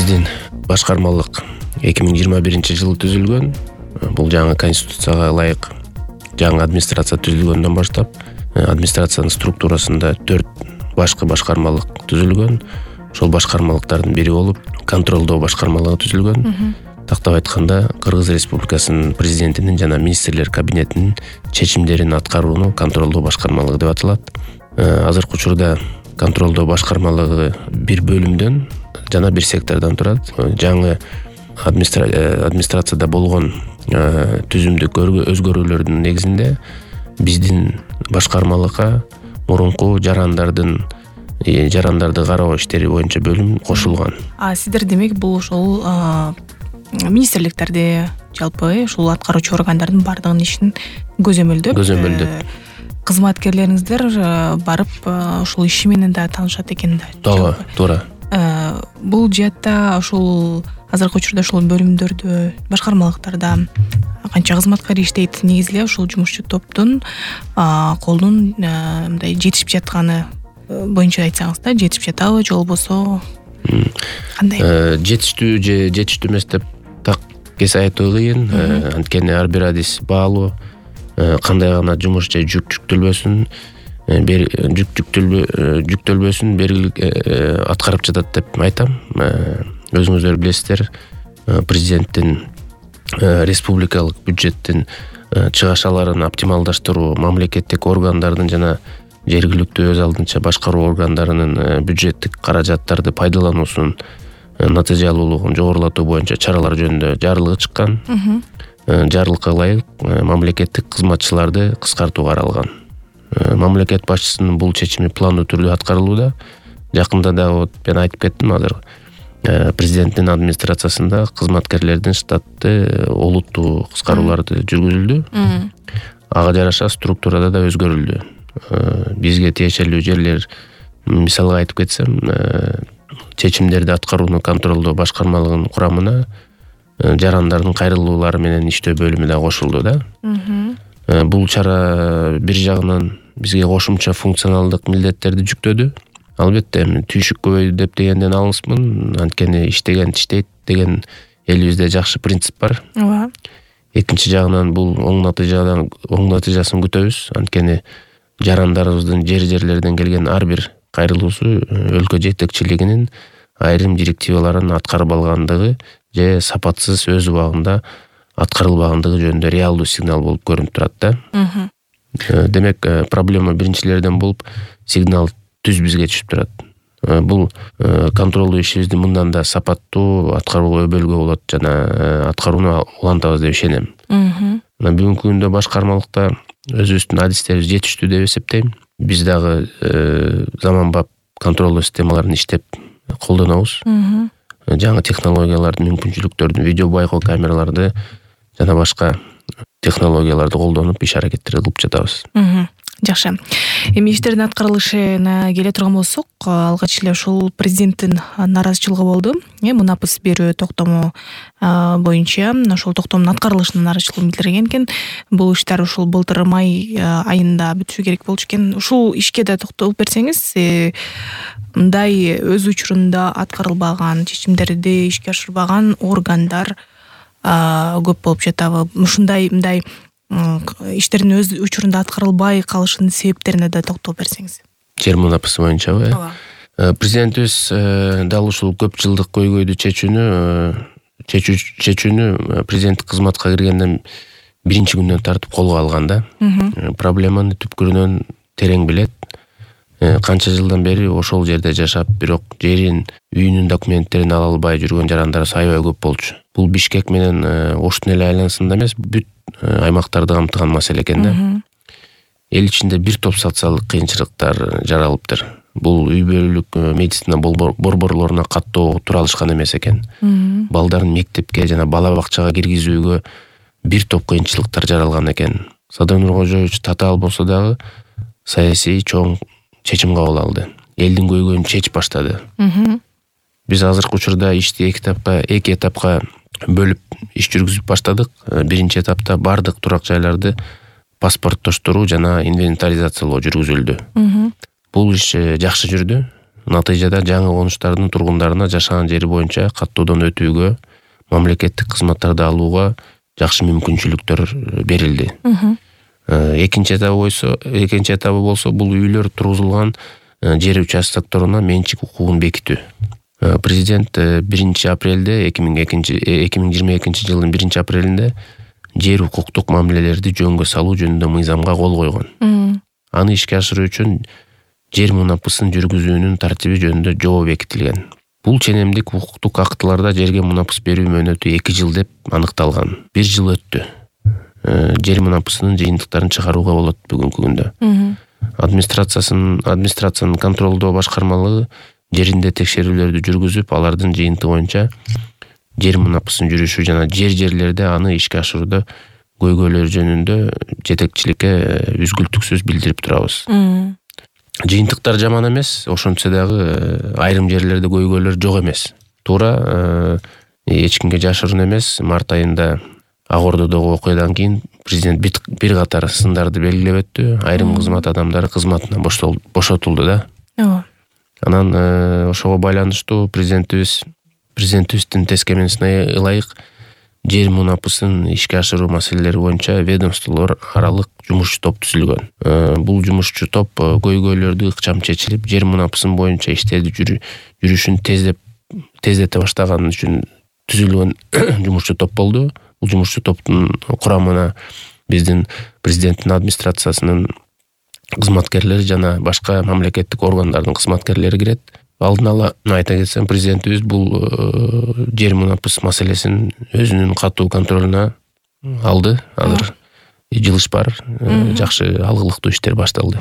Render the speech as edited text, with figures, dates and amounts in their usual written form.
Биздин башкармалык 2021-жылы түзүлгөн. Бул жаңы конституцияга ылайык жаңы администрация түзүлгөндөн баштап администрациянын структурасында 4 башкы башкармалык түзүлгөн. Ошол башкармалыктардын бири болуп контролдоо башкармалыгы түзүлгөн. Тактап айтканда, Кыргыз Республикасынын президентинин жана министрлер кабинетинин чечимдерин аткарууну контролдоо башкармалыгы деп аталат. Азыркы учурда контролдоо башкармалыгы бир бөлүмдөн жана бир сектордон турат. Жаңы администрацияда болгон түзүмдүк өзгөрүүлөрдүн негизинде биздин башкармалыкка мурунку жарандарды кароо иштери боюнча бөлүм кошулган. Сиздер демек бул ошол министрликтерди, жалпы ушул аткаруучу органдардын бардыгынын ишин көзөмөлдөп кызматкерлериңиздер барып ушул иши менен да таанышат экен да. Туура. Бул жаатта ушул азыркы учурда ушул бөлүмдөрдө, башкармалыктарда канча кызматкер иштейт? Негизи эле ушул жумушчу топтун колунун мындай жетишип жатканы боюнча айтсаңыз да, жетишип жатабы же болбосо кандай? Жетиштүү же жетиштүү эмес деп так кесе айтуу кыйын. Анткени ар бир адис баалуу. Кандай гана жумуш же жүктөлбөсүн, жүктөлбөсүн белгилик аткарып жатат деп айтам. Өзүңүздөр билесиздер, президенттин республикалык бюджеттин чыгашаларын оптималдаштыруу, мамлекеттик органдардын жана жергиликтүү өз алдынча башкаруу органдарынын бюджеттик каражаттарды пайдалануусунун натыйжалуулугун жогорулатуу боюнча чаралар жөнүндө жарлыгы чыккан. Жарлыкка ылайык мамлекеттик кызматчыларды кыскартуу каралган. Мамлекет башчысынын бул чечими пландуу түрдө аткарылууда. Жакында да мен айтып кеттим азыр. Президенттин администрациясында кызматкерлердин штатты олуттуу кыскарууларды жүргүзүлдү. Ага жараша структурада да өзгөрүлдү. Бизге тиешелүү жерлер, мисалга айтып кетсем, чечимдерди аткарууну контролдоо башкармалыгынын курамына жарандардын кайрылуулары менен иштөө бөлүмү да кошулду да. Бул чара бир жагынан бизге кошумча функционалдык милдеттерди жүктөдү. Албетте, түйшүк көбөйдү деп дегенден алыспын. Анткени иштеген иштейт деген элибизде жакшы принцип бар. Экинчи жагынан бул оң натыйжасын күтөбүз. Анткени жарандарыбыздын жерлерден келген ар бир кайрылуусу өлкө жетекчилигинин айрым директиваларын аткарып алгандыгы же сапатсыз өз убагында аткарылбагандыгы жөнүндө реалдуу сигнал болуп көрүнүп турат да. Демек, проблема биринчилерден болуп сигнал түз бизге түшүп турат. Бул контролдуу ишибизди мындан да сапаттуу аткарууга өбөлгө болот жана аткарууну улантабыз деп ишенем. Бүгүнкү күндө башкармалыкта өзүбүздүн адистерибиз жетиштүү деп эсептейм. Биз дагы заманбап контролдоо системаларын иштеп колдонобуз. Жаңы технологиялардын мүмкүнчүлүктөрүн, видео байкоо камераларды жана башка технологияларды колдонуп иш аракеттерди кылып жатабыз. Жакшы. Эми иштердин аткарылышына келе турган болсок, алгач эле ушул президенттин нааразычылыгы болду. Мунапыс берүү токтому боюнча ошол токтомдун аткарылышына нааразычылыгын билдирген экен. Бул иштер ушул былтыр май айында бүтүшү керек болчу экен. Ушул ишке да токтолуп берсеңиз, мындай өз учурунда аткарылбаган, чечимдерди ишке ашырбаган органдар көп болуп жатабы? Ушундай мындай иштердин өз учурунда аткарылбай калышынын себептерине да токтолуп берсеңиз. Жер мунапысы боюнчабы? Президентибиз дал ушул көп жылдык көйгөйдү чечүүнү президенттик кызматка киргенден биринчи күндөн тартып колго алган да. Проблеманы түпкүрүнөн терең билет. Канча жылдан бери ошол жерде жашап, бирок жерин, үйүнүн документтерин ала албай жүргөн жарандар аябай көп болчу. Бул Бишкек менен Оштун эле айланасында эмес, бүт аймактарды камтыган маселе экен да. Эл ичинде бир топ социалдык кыйынчылыктар жаралыптыр. Бул үй бүлөлүк медицина борборлоруна каттоо тура алышкан эмес экен. Балдарын мектепке жана бала бакчага киргизүүгө бир топ кыйынчылыктар жаралган экен. Садыр Нуркожоевич татаал болсо дагы саясий чоң чечим кабыл алды. Элдин көйгөйүн чечип баштады. Биз азыркы учурда ишти эки этапка бөлүп иш жүргүзүп баштадык. Биринчи этапта бардык турак жайларды паспорттоштуруу жана инвентаризациялоо жүргүзүлдү. Бул иш жакшы жүрдү. Натыйжада жаңы конуштардын тургундарына жашаган жери боюнча каттоодон өтүүгө, мамлекеттик кызматтарды алууга жакшы мүмкүнчүлүктөр берилди. Экинчи этабы болсо бул үйлөр тургузулган жер участокторуна менчик укугун бекитүү. Президент 1 апрелде 2022 жылдын 1 апрелинде жер укуктук мамилелерди жөнгө салуу жөнүндө мыйзамга кол койгон. Аны ишке ашыруу үчүн жер мунапысын жүргүзүүнүн тартиби жөнүндө жобо бекитилген. Бул ченемдик укуктук актыларда жерге мунапыс берүү мөөнөтү 2 жыл деп аныкталган. 1 жыл өттү. Жер мунапысынын жыйынтыктарын чыгарууга болот бүгүнкү күндө. Администрациянын контролдоо башкармалыгы жеринде текшерүүлөрдү жүргүзүп, алардын жыйынтыгы боюнча жер мунапысын жүрүшү жана жерлерде аны ишке ашырууда көйгөйлөр жөнүндө жетекчиликке үзгүлтүксүз билдирип турабыз. Жыйынтыктар жаман эмес, ошентсе дагы айрым жерлерде көйгөйлөр жок эмес. Туура, эч кимге жашыруун эмес. Март айында Ак Ордодогу окуядан кийин президент бир катар сындарды белгилеп өттү. Айрым кызмат адамдары кызматынан бошотулду да. Анан ошого байланыштуу президентибиздин тескемесине ылайык жер мунапысын ишке ашыруу маселелери боюнча ведомстволор аралык жумушчу топ түзүлгөн. Бул жумушчу топ көйгөйлөрдү ыкчам чечилип, жер мунапысын боюнча иштерди жүрүшүн тездете баштаган үчүн түзүлгөн жумушчу топ болду. Бул жумушчу топтун курамына биздин президенттин администрациясынын кызматкерлери жана башка мамлекеттик органдардын кызматкерлери кирет. Алдын ала айта кетсем, президентибиз бул жер мунапыс маселесин өзүнүн катуу контролуна алды. Азыр жылыш бар, жакшы алгылыктуу иштер башталды.